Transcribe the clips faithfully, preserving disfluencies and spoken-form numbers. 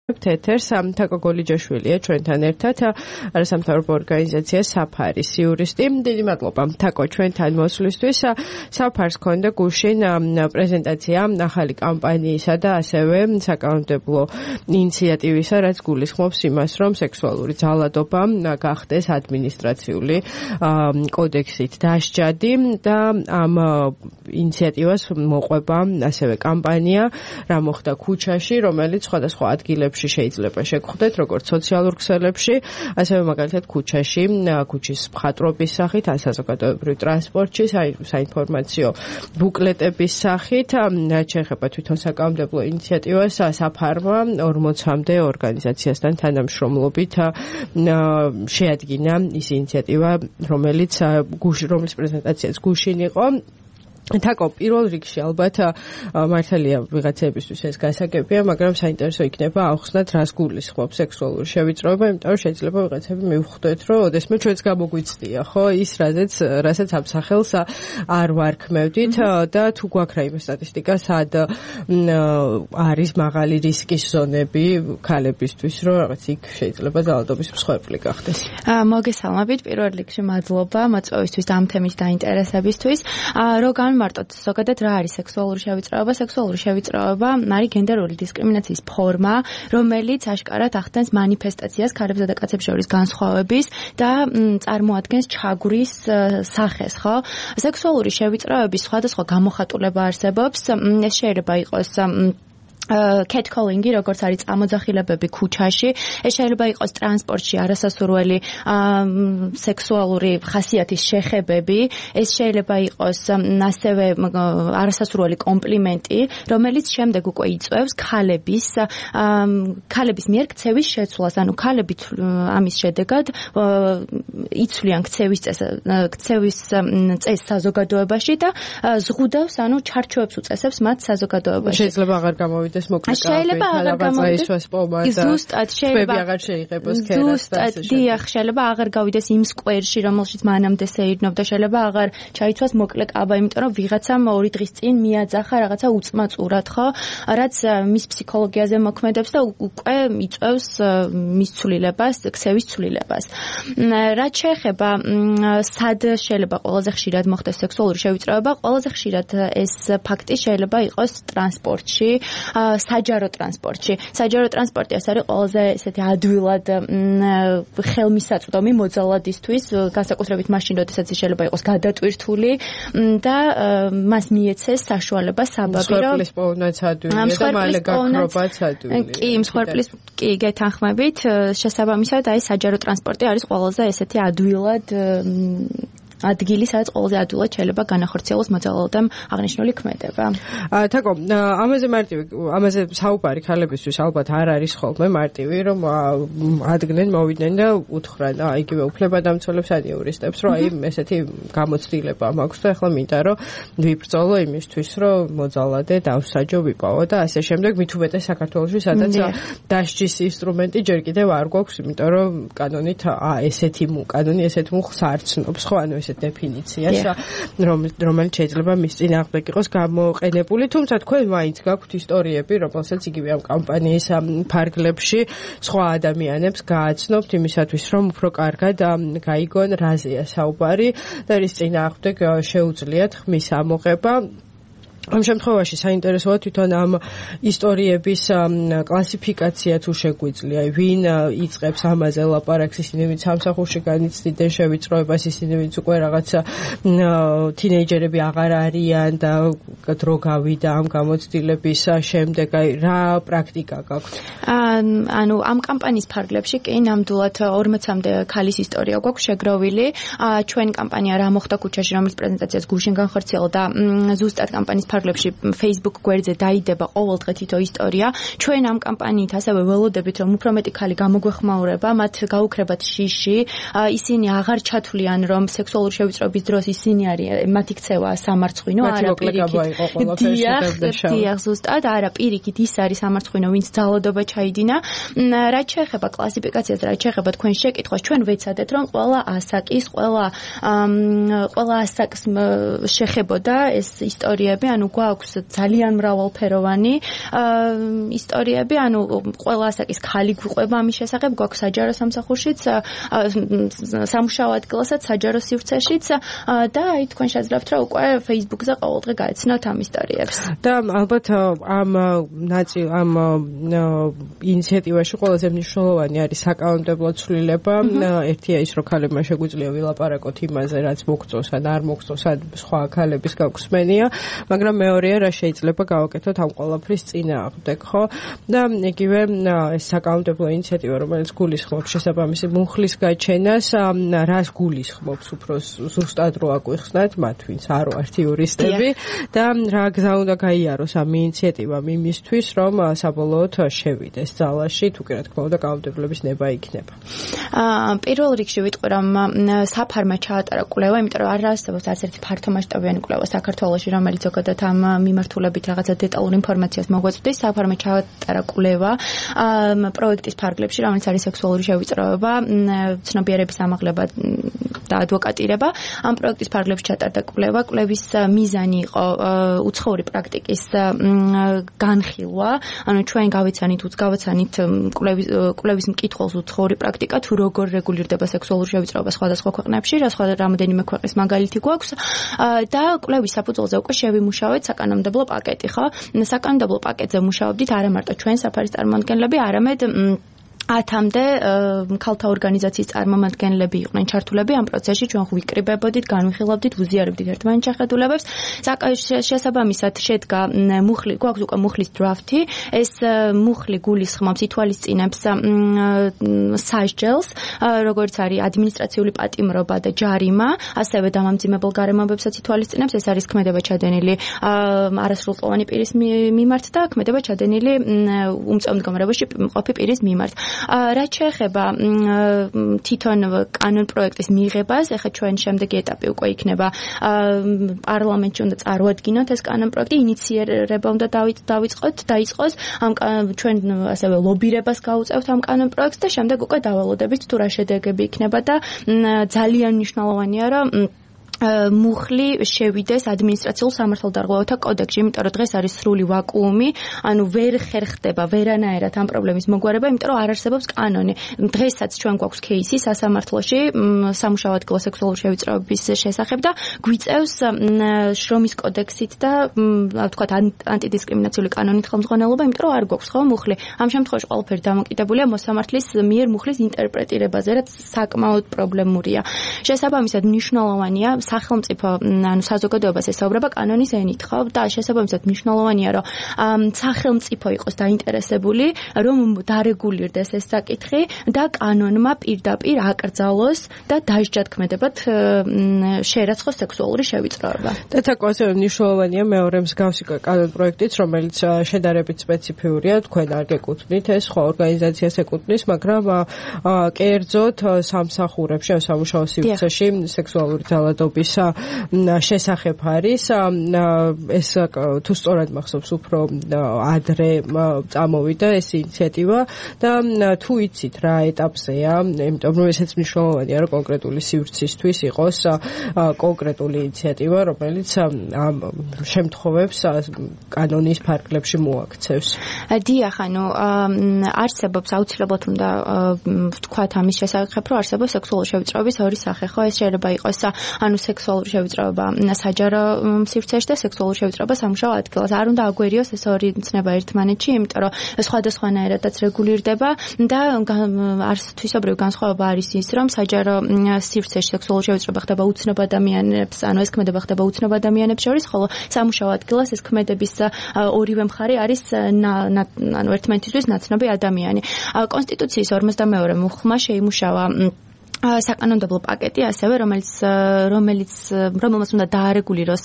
თეთერს თაკო გოლიჯაშვილია ჩვენთან ერთად არასამთავრობო ორგანიზაცია საფარის იურისტი. დიდი მადლობა თაკო ჩვენთან მოსვლისთვის. საფარს ქონდა გუშინ პრეზენტაცია ახალი კამპანიისა და ასევე საკანონმდებლო ინიციატივისა, რაც გულისხმობს იმას, რომ სექსუალური ძალადობა გახდეს ადმინისტრაციული კოდექსით დასჯადი და ამ ინიციატივას მოყვება ასევე კამპანია რა მოხდა ქუჩაში, რომელიც სხვადასხვა ადგილებში შეიძლება შეგხვდეთ, როგორც სოციალურ ქსელებში, ასევე მაგალითად ქუჩაში, ქუჩის მხატვრობის სახით, ან საზოგადოებრივ ტრანსპორტში, საინფორმაციო ბუკლეტების სახით, რაც შეეხება თვითონ საკანონმდებლო ინიციატივას, საფარმა ორმოცამდე ორგანიზაციასთან თანამშრომლობით შეადგინა ის ინიციატივა, რომელიც რომლის პრეზენტაციაც გუშინ იყო. თაკო, პირველ რიგში ალბათ მართალია ვიღაცებისთვის ეს გასაგებია, მაგრამ საინტერესო იქნება ახსნათ, რას გულისხმობს სექსუალური შევიწროება, იმიტომ რომ შეიძლება ვიღაცები მივხვდეთ, რომ ოდესმე ჩვენც გამოგვიცდია, ხო, ის რაზეც რასაც ამ სახელს არ ვარქმევდით და თუ გვაქვს რაიმე სტატისტიკა, სად არის მაღალი რისკის ზონები ქალებისთვის, რომ რაღაც იქ შეიძლება ძალადობის მსხვერპლი გახდეს. მოგესალმებით, პირველ რიგში მადლობა მოწვევისთვის და ამ თემის დაინტერესებისთვის. Როგორ მარტოდ ზოგადად რა არის სექსუალური შევიწროება? სექსუალური შევიწროება არის გენდერული დისკრიმინაციის ფორმა, რომელიც აშკარად ახდენს მანიფესტაციას ქალებსა და კაცებს შორის განსხვავების და წარმოადგენს ჩაგვრის სახეს, ხო? სექსუალური შევიწროების სხვადასხვა გამოხატულება არსებობს. ეს შეიძლება იყოს catcalling-ი, როგორც არის წამოძახილებები ქუჩაში, ეს შეიძლება იყოს ტრანსპორტში არასასურველი სექსუალური ხასიათის შეხებები, ეს შეიძლება იყოს ასევე არასასურველი კომპლიმენტი, რომელიც შემდეგ უკვე იწვევს ქალების ქალების მიერ ქცევის შეცვლას, ანუ ქალები ამის შედეგად იცვლიან ქცევის ქცევის წესს საზოგადოებაში და ზღუდავს, ანუ ჩარჩოებს უწესებს მათ საზოგადოებაში. შეიძლება აღარ გამოვიდეს შეიძლება აღარ გამოვიდეს ზუსტად შეიძლება აღარ შეიღებოს ქერას ზუსტად დიახ შეიძლება აღარ გავიდეს იმ სკვერში რომელშიც მანამდე სეირნობდა შეიძლება აღარ ჩაიცვას მოკლე კაბა იმიტომ რომ ვიღაცამ ორი დღის წინ მიაძახა რაღაცა უწმაწურად ხო რაც მის ფსიქოლოგიაზე მოქმედებს და უკვე იწევს მის ცვლილებას ქცევის ცვლილებას რაც შეეხება სად შეიძლება ყველაზე ხშირად მოხდეს სექსუალური შევიწროება ყველაზე ხშირად ეს ფაქტი შეიძლება იყოს ტრანსპორტში საჯარო ტრანსპორტში. საჯარო ტრანსპორტი ეს არის ყველაზე ესეთი ადვილად ხელმისაწვდომი მოძალადისთვის, განსაკუთრებით მაშინ, როდესაც შეიძლება იყოს გადატვირთული და მას მიეცეს საშუალება საბაბი, რომ მსხვერპლის პოვნაც ადვილია და მალე გაქრობაც ადვილია. კი, მსხვერპლის კი გეთანხმებით, შესაბამისად აი საჯარო ტრანსპორტი არის ყველაზე ესეთი ადვილად ადგილი, სადაც ყველაზე ადვილად შეიძლება განახორციელოს მოძალადემ აღნიშნული ქმედება. თაკო, ამაზე მარტივი, ამაზე საუბარი ქალებისთვის ალბათ არ არის ხოლმე მარტივი, რომ ადგენენ, მოვიდნენ და უთხრან, იგივე უფლებადამცველებს ან იურისტებს, რომ აი ესეთი გამოცდილება მაქვს და ახლა მინდა რომ ვიბრძოლო იმისთვის, რომ მოძალადე დავსაჯო ვიპოვო და ასე შემდეგ, მით უმეტეს საქართველოში, სადაც დასჯის ინსტრუმენტი ჯერ კიდევ არ გვაქვს, იმიტომ რომ კანონით ესეთი კანონი ესეთ მუხლს არ ცნობს, ხო, ანუ დეფინიციას, რომელიც შეიძლება მის წინააღმდეგ იყოს გამოყენებული, თუმცა თქვენ მაინც გაქვთ ისტორიები, რომელსაც იგივე ამ კამპანიის ფარგლებში სხვა ადამიანებს გააცნობთ იმისათვის, რომ უფრო კარგად გაიგონ რაზეა საუბარი და რის წინააღმდეგ შეუძლიათ ხმის ამოღება. ამ შემთხვევაში საინტერესოა თვითონ ამ ისტორიების კლასიფიკაცია თუ შეგვიძლია, ვინ იწყებს ამაზე ლაპარაკს, ისინი ვინც სამსახურში განიცდიდნენ შევიწროებას, ისინი ვინც უკვე რაღაცა თინეიჯერები აღარ არიან და დრო გავიდა ამ გამოცდილების შემდეგ, აი რა პრაქტიკა გაქვთ? ანუ ამ კამპანიის ფარგლებში კი ნამდვილად ორმოცამდე ქალის ისტორია გვაქვს შეგროვილი. ჩვენ კამპანია რა მოხდა ქუჩაში, რომლის პრეზენტაციას გუშინ განხორციელდა ზუსტად კამპანიის ფარგლებში Facebook გვერდზე დაიდება ყოველდღე თითო ისტორია. ჩვენ ამ კამპანიით ასევე ველოდებით, რომ უფრო მეტი ქალი გამოგვეხმაურება, მათ გაუქრებათ შიში, ისინი აღარ ჩათვლიან, რომ სექსუალური შევიწროების დროს ისინი არიან, მათი ქცევა სამარცხვინო, არა პირიქით. დიახ, ზუსტად, არა პირიქით ის არის სამარცხვინო, ვინც ძალადობა ჩაიდინა. რაც შეეხება კლასიფიკაციას, რაც შეეხება თქვენ შეკითხვას, ჩვენ ვეცადეთ, რომ ყველა ასაკის, ყველა ყველა ასაკს შეხებოდა ეს ისტორიები, ანუ ანუ გვაქვს ძალიან მრავალფეროვანი ისტორიები, ანუ ყველა ასაკის ქალი გვიყვება ამის შესახებ, გვაქვს საჯარო სამსახურშიც, სამუშაო ადგილასაც, საჯარო სივრცეშიც და აი თქვენ შეძლებთ რა უკვე Facebook-ზე ყოველდღე გაეცნოთ ამ ისტორიებს. და ალბათ ამ ნაწილ ამ ინიციატივაში ყველაზე მნიშვნელოვანი არის საკანონმდებლო ცვლილება. ერთია ის, რომ ქალებმა შეგვიძლია ვილაპარაკოთ იმაზე, რაც მოგწონს ან არ მოგწონს, ან სხვა ქალების გაგვხსმენია, მაგრამ მეორეა, რა შეიძლება გავაკეთოთ ამ ყველაფრის წინააღმდეგ, ხო? და იგივე ეს საკანონმდებლო ინიციატივა, რომელიც გულისხმობს შესაბამისი მუხლის გაჩენას, რას გულისხმობს უფრო ზუსტად რო აგვიხსნათ მათ, ვინც არ ვართ იურისტები და რა გზა უნდა გაიაროს ამ ინიციატივამ იმისთვის, რომ საბოლოოდ შევიდეს ძალაში, თუ კი რა თქმა უნდა კანონმდებლობის ნება იქნება. აა პირველ რიგში ვიტყვი, რომ საფარმა ჩაატარა კვლევა, იმიტომ რომ არ არსებობს არც ერთი ფართომასშტაბიანი კვლევა საქართველოში, რომელიც ზოგადად ამ მიმართულებით რაღაცა დეტალურ ინფორმაციას მოგვეწვდის. საფარმა ჩაატარა კვლევა პროექტის ფარგლებში, რომელიც არის სექსუალური შევიწროება, ცნობიერების ამაღლება და ადვოკატირება. ამ პროექტის ფარგლებში ჩატარდა კვლევა. კვლევის მიზანი იყო უცხოური პრაქტიკის განხილვა, ანუ ჩვენ გავიცანით, გავაცანით კვლევის კვლევის მკითხველს უცხოური პრაქტიკა, თუ როგორ რეგულირდება სექსუალური შევიწროება სხვადასხვა ქვეყნებში, რა სხვა რამოდენიმე ქვეყნის მაგალითი გვაქვს და კვლევის საფუძველზე უკვე შევიმუშავეთ საკანონმდებლო პაკეტი, ხო? საკანონმდებლო პაკეტზე მუშაობდით არა მარტო ჩვენ საფარის წარმომადგენლები, არამედ ათამდე ქალთა ორგანიზაციის წარმომადგენლები იყვნენ ჩართულები ამ პროცესში, ჩვენ ვიკრიბებოდით, განვიხილავდით, ვუზიარებდით ერთმანეთს შეხედულებებს. შესაბამისად შედგა მუხლი, გვაქვს უკვე მუხლის დრაფტი. ეს მუხლი გულისხმობს, ითვალისწინებს სასჯელს, როგორც არის ადმინისტრაციული პატიმრობა და ჯარიმა, ასევე დამამძიმებელ გარემოებებსაც ითვალისწინებს. ეს არის ქმედება ჩადენილი არასრულწლოვანი პირის მიმართ და ქმედება ჩადენილი უმწვევ მდგომარეობაში მყოფი პირის მიმართ. რაც შეეხება თვითონ კანონ პროექტის მიღებას, ეხლა ჩვენ შემდეგი ეტაპი უკვე იქნება პარლამენტში უნდა წარუადგინოთ ეს კანონ პროექტი, ინიციერება უნდა დავიწყოთ, დაიწყოს, ამ ჩვენ ასევე ლობირებას გავუწევთ ამ კანონ პროექტს და შემდეგ უკვე დავალოდებით თუ რა შედეგები იქნება და ძალიან მნიშვნელოვანია, რომ მუხლი შევიდეს ადმინისტრაციულ სამართალდარღვევათა კოდექსში, იმიტომ რომ დღეს არის სრული ვაკუუმი, ანუ ვერ ხერხდება ვერანაირად ამ პრობლემის მოგვარება, იმიტომ რომ არ არსებობს კანონი. დღესაც ჩვენ გვაქვს кейსი სასამართლოში სამუშაო ადგილას სექსუალური შევიწროების შესახებ და გვიწევს შრომის კოდექსით და ვთქვათ ანტიდისკრიმინაციული კანონით ხელმძღვანელობა, იმიტომ რომ არ გვაქვს ხო მუხლი. ამ შემთხვევაში ყველაფერი დამოკიდებულია მოსამართლის მიერ მუხლის ინტერპრეტირებაზე, რაც საკმაოდ პრობლემურია. შესაბამისად მნიშვნელოვანია სახელმწიფო, ანუ საზოგადოებას ესაუბრება კანონის ენით, ხო? და შესაბამისად მნიშვნელოვანია, რომ სახელმწიფო იყოს დაინტერესებული, რომ დარეგულირდეს ეს საკითხი და კანონმა პირდაპირ აკრძალოს და დასჯად ქმედებად შეერაცხოს სექსუალური შევიწროება. და თაკოზე მნიშვნელოვანია მეორე მსგავსი კანონ პროექტიც, რომელიც შედარებით სპეციფიურია, თქვენ არ გეკუთვნით, ეს სხვა ორგანიზაციას ეკუთვნის, მაგრამ კერძოდ სამსახურებში, სამუშაო სივრცეში სექსუალური ძალადობის შესახებ არის. ეს თუ სწორად მახსოვს, უფრო ადრე წამოვიდა ეს ინიციატივა და თუ იცით რა ეტაპზეა, იმიტომ რომ ესეც მნიშვნელოვანია, რომ კონკრეტული სივრცისთვის იყოს კონკრეტული ინიციატივა, რომელიც ამ შემთხვევებს კანონის ფარგლებში მოაქცევს. დიახ, ანუ არსებობს აუცილებლად უნდა ვთქვათ ამის შესახებ, რომ არსებობს სექსუალური შევიწროების ორი სახე, ხო? ეს შეიძლება იყოს ანუ სექსუალური შევიწროება საჯარო სივრცეში და სექსუალური შევიწროება სამუშაო ადგილას. არ უნდა აგვერიოს ეს ორი ცნება ერთმანეთში, იმიტომ რომ სხვადასხვანაირადაც რეგულირდება და არც თვისობრივი განსხვავება არის ის, რომ საჯარო სივრცეში სექსუალური შევიწროება ხდება უცნობ ადამიანებს, ანუ ეს ქმედება ხდება უცნობ ადამიანებს შორის, ხოლო სამუშაო ადგილას ეს ქმედების ორივე მხარე არის ანუ ერთმანეთისთვის ნაცნობი ადამიანი. კონსტიტუციის ორმოცდამეორე მუხლმა შეიმუშავა საკანონმდებლო პაკეტი ასევე, რომელიც რომელიც რომელმაც უნდა დაარეგულიროს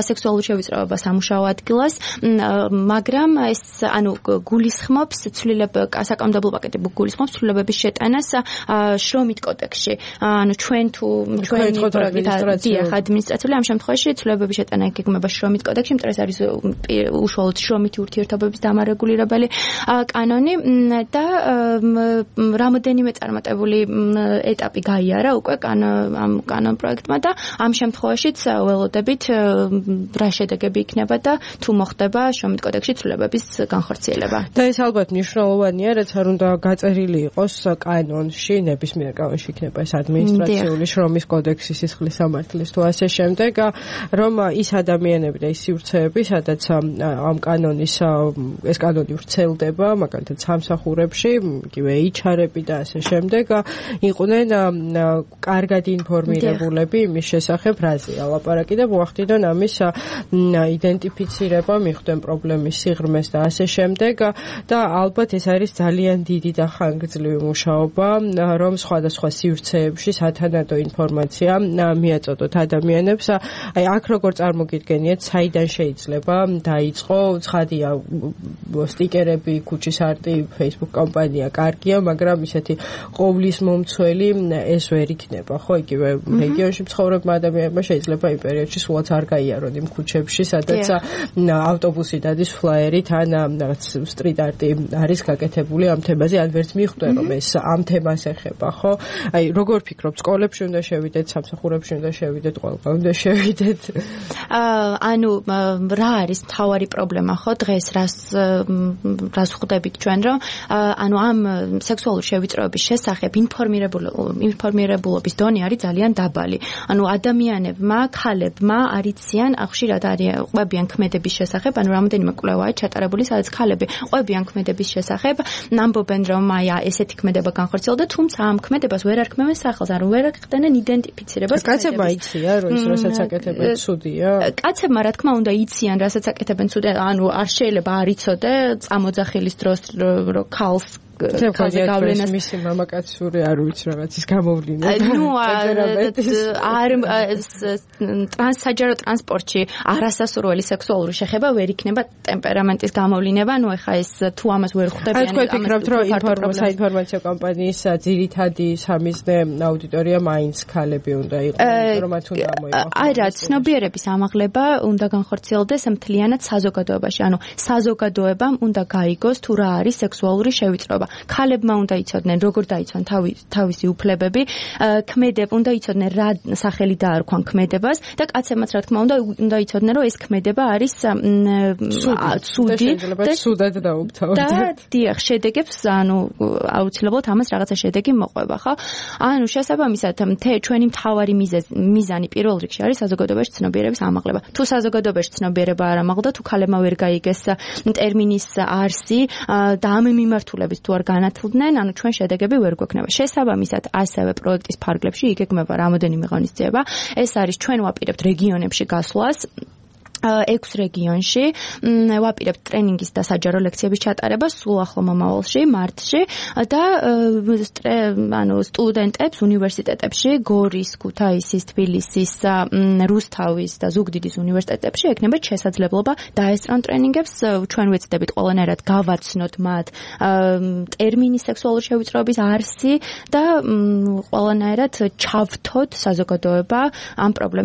სექსუალური შევიწროება სამუშაო ადგილას, მაგრამ ეს ანუ გულისხმობს ცვლილება საკანონმდებლო პაკეტი გულისხმობს ცვლილებების შეტანას შრომით კოდექსში. ანუ ჩვენ თუ ჩვენი პროექტი ადმინისტრაციული ამ შემთხვევაში ცვლილებების შეტანა იგეგმება შრომით კოდექსში, იმიტომ ეს არის უშუალოდ შრომითი ურთიერთობების დამარეგულირებელი კანონი და რამოდენიმე წარმატებული ეტაპი ეტაპი გაიარა უკვე ამ კანონ პროექტმა და ამ შემთხვევაშიც ველოდებით რა შედეგები იქნება და თუ მოხდება შრომით კოდექსში ცვლილებების განხორციელება. და ეს ალბათ მნიშვნელოვანია, რაც არ უნდა გაწერილი იყოს კანონში, ნებისმიერ კანონში იქნება ეს ადმინისტრაციული შრომის კოდექსი, სისხლის სამართლის თუ ასე შემდეგ, რომ ის ადამიანები და ის სივრცეები, სადაც ამ კანონის ეს კანონი ვრცელდება, მაგალითად სამსახურებში, იგივე ეიჩ არ-ები და ასე შემდეგ, იყვნენ კარგად ინფორმირებულები იმის შესახებ, რაზეა ლაპარაკი და მოახდინონ ამის იდენტიფიცირება, მიხვდნენ პრობლემის სიღრმეს და ასე შემდეგ და ალბათ ეს არის ძალიან დიდი და ხანგრძლივი მუშაობა, რომ სხვადასხვა სივრცეებში სათანადო ინფორმაცია მიაწოდოთ ადამიანებს. აი აქ როგორ წარმოგიდგენიათ, საიდან შეიძლება დაიწყო, ცხადია სტიკერები, ქუჩის არტი, Facebook კამპანია კარგია, მაგრამ ისეთი ყოვლის მომცველი ეს ვერ იქნება, ხო, იგივე რეგიონში მცხოვრებმა ადამიანებმა შეიძლება იმ პერიოდში სულაც არ გაიარონ იმ ქუჩებში, სადაც ავტობუსი დადის ფლაიერით ან რაღაც სტრიტ არტი არის გაკეთებული ამ თემაზე, ან ვერც მიხვდენ რომ ეს ამ თემას ეხება, ხო? აი, როგორ ფიქრობ, სკოლებში უნდა შევიდეთ, სამსახურებში უნდა შევიდეთ, ყველგან უნდა შევიდეთ? აა, ანუ რა არის მთავარი პრობლემა, ხო, დღეს რას რას ხვდებით ჩვენ, რომ ანუ ამ სექსუალური შევიწროების შესახებ ინფორმირებულობის დონე არის ძალიან დაბალი. ანუ ადამიანებმა, ქალებმა არიციან, ხშირად ყვებიან ქმედების შესახებ, ანუ რამოდენიმე კვლევაა ჩატარებული, სადაც ქალები ყვებიან ქმედების შესახებ, ამბობენ, რომ აი ესეთი ქმედება განხორციელდა, თუმცა ამ ქმედებას ვერ არქმევენ სახელს, ანუ ვერ ახდენენ იდენტიფიცირებას. კაცებმა იციან, რომ ის რასაც აკეთებენ ცუდია? კაცებმა რა თქმა უნდა იციან, რასაც აკეთებენ ცუდია, ანუ არ შეიძლება არ იცოდე წამოძახილის დროს რომ ქალს ქალზე გავლენას მისი მამაკაცური არ ვიცი რაღაცის გამოვლენა. ნუ არ ტრანსსაჯარო ტრანსპორტში არასასურველი სექსუალური შეხება ვერ იქნება ტემპერამენტის გამოვლენა, ნუ ეხა ეს თუ ამას ვერ ხვდებიან. აი თქვენ ფიქრობთ, რომ საინფორმაციო კამპანიის ძირითადი სამიზნე აუდიტორია მაინც ქალები უნდა იყოს, რომ მათ უნდა მოიყოს. არა, ცნობიერების ამაღლება უნდა განხორციელდეს მთლიანად საზოგადოებაში, ანუ საზოგადოებამ უნდა გაიგოს თუ რა არის სექსუალური შევიწროება. ქალებმა უნდა იცოდნენ, როგორ დაიცვან თავისი უფლებები, ქმედებ უნდა იცოდნენ რა სახელი დაარქვან ქმედებას და კაცებმაც რა თქმა უნდა უნდა იცოდნენ, რომ ეს ქმედება არის ცუდი და ცუდად დაუფთავოთ. და დიახ, შედეგებს, ანუ აუცილებლად ამას რაღაცა შედეგი მოყვება, ხო? ანუ შესაბამისად, ჩვენი მთავარი მიზანი პირველ რიგში არის საზოგადოებაში ცნობიერების ამაღლება. თუ საზოგადოებაში ცნობიერება არ ამაღლდა, თუ ქალებმა ვერ გაიგეს ტერმინის არსი და ამ მიმართულებით თუ არ განათლდნენ, ანუ ჩვენ შედეგები ვერ გვექნება. შესაბამისად, ასევე პროექტის ფარგლებში იგეგმება რამოდენიმე ღონისძიება. ეს არის ჩვენ ვაპირებთ რეგიონებში გასვლას. ექვს რეგიონში ვაპირებთ ტრენინგის და საჯარო ლექციების ჩატარებას სულ ახლო მომავალში, მარტში და ანუ სტუდენტებს უნივერსიტეტებში, გორის, ქუთაისის, თბილისის, რუსთავის და ზუგდიდის უნივერსიტეტებში ექნებათ შესაძლებლობა დაესწრონ ტრენინგებს. ჩვენ ვეცდებით ყველანაირად გავაცნოთ მათ ტერმინი სექსუალური შევიწროების არსი და ყველანაირად ჩავთოთ საზოგადოება ამ პრობლემის